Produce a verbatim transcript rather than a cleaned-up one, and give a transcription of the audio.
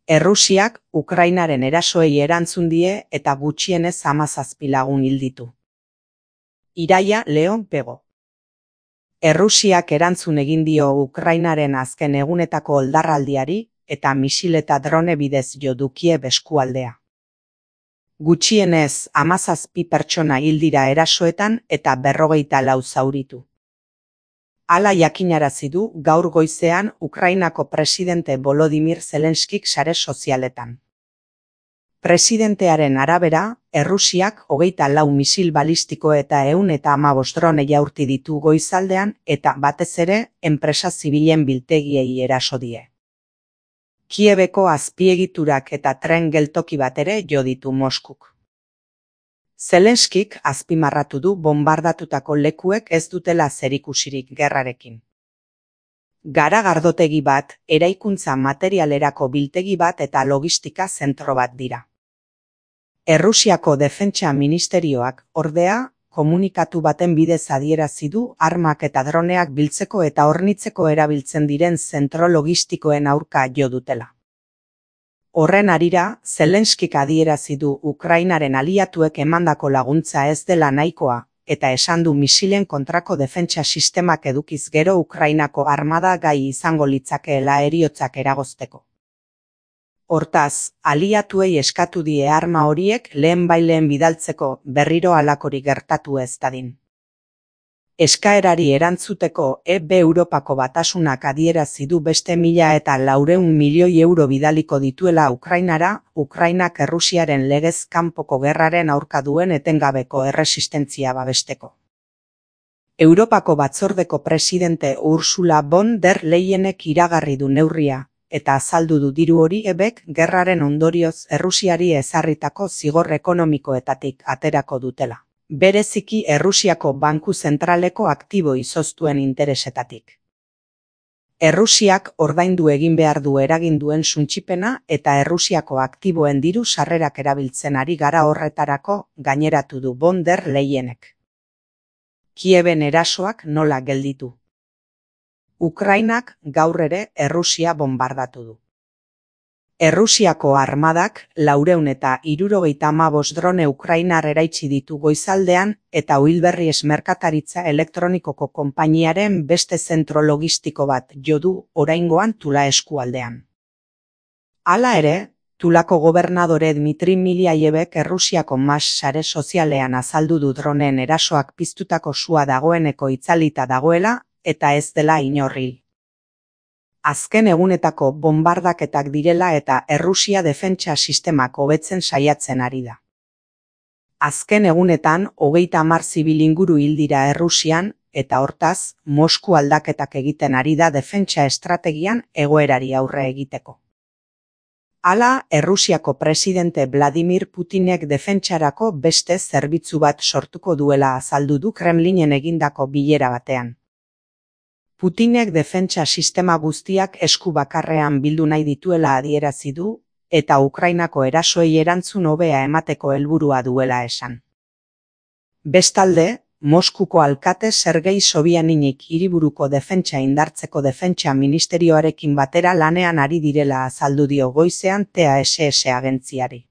Errusiak Ukrainaren erasoei erantzun die eta gutxienez hamazazpi lagun hil ditu. Iraia Leon Pego. Errusiak erantzun egin dio Ukrainaren azken egunetako oldarraldiari eta misil eta drone bidez jo dukie eskualdea. Gutxienez hamazazpi pertsona hil dira erasoetan eta berrogeita lau zauritu. Hala jakinarazi du gaur goizean Ukrainako presidente Volodymyr Zelenskik sare sozialetan. Presidentearen arabera, Errusiak hogeita lau misil balistiko eta ehun eta hamabost drone jaurti ditu goizaldean eta batez ere enpresa zibilen biltegiei eraso die. Kiebeko azpiegiturak eta tren geltoki bat ere jo ditu Moskuk. Zelenskik azpimarratu du bonbardatutako lekuek ez dutela zerikusirik gerrarekin. Garagardotegi bat, eraikuntza materialerako biltegi bat eta logistika zentro bat dira. Errusiako Defentsa Ministerioak, ordea, komunikatu baten bidez adierazi du armak eta droneak biltzeko eta hornitzeko erabiltzen diren zentro logistikoen aurka jo dutela. Horren harira, Zelenskik adierazi du Ukrainaren aliatuek emandako laguntza ez dela nahikoa, eta esan du misilen kontrako defentsa sistemak edukiz gero Ukrainako armada gai izango litzakeela heriotzak eragozteko. Hortaz, aliatuei eskatu die arma horiek lehenbaileen bidaltzeko berriro halakorik gertatu ez dadin. Eskaerari erantzuteko E B Europako Batasunak adierazi du beste mila eta laurehun milioi euro bidaliko dituela Ukrainara, Ukrainak Errusiaren legez kanpoko gerraren aurka duen etengabeko erresistentzia babesteko. Europako Batzordeko presidente Ursula von der Leyenek iragarri du neurria, eta azaldu du diru hori E Bk gerraren ondorioz Errusiari ezarritako zigor ekonomikoetatik aterako dutela. Bereziki Errusiako Banku Zentraleko aktibo izoztuen interesetatik. Errusiak ordaindu egin behar du eragin duen suntsipena eta Errusiako aktiboen diru sarrerak erabiltzen ari gara horretarako, gaineratu du von der Leyenek. Kieben erasoak nola gelditu. Ukrainak gaur ere Errusia bonbardatu du. Errusiako armadak laurehun eta hirurogeita hamabost drone ukrainar eraitsi ditu goizaldean eta Oilberries merkataritza elektronikoko konpainiaren beste zentro logistiko bat jo du oraingoan Tula eskualdean. Hala ere, Tulako gobernadore Dmitri Miliayevek Errusiako mas sare sozialean azaldu du droneen erasoak piztutako sua dagoeneko itzalita dagoela eta ez dela inorri. Azken egunetako bonbardaketak direla eta Errusia defentsa sistemak hobetzen saiatzen ari da. Azken egunetan hogeita hamar zibil inguru hil dira Errusian eta hortaz Mosku aldaketak egiten ari da defentsa estrategian egoerari aurre egiteko. Hala, Errusiako presidente Vladimir Putinek defentsarako beste zerbitzu bat sortuko duela azaldu du Kremlinen egindako bilera batean. Putinek defentsa sistema guztiak esku bakarrean bildu nahi dituela adierazi du, eta Ukrainako erasoei erantzun hobea emateko helburua duela esan. Bestalde, Moskuko alkate Sergei Sobianinik hiriburuko defentsa indartzeko defentsa ministerioarekin batera lanean ari direla azaldu dio goizean T A S S agentziari.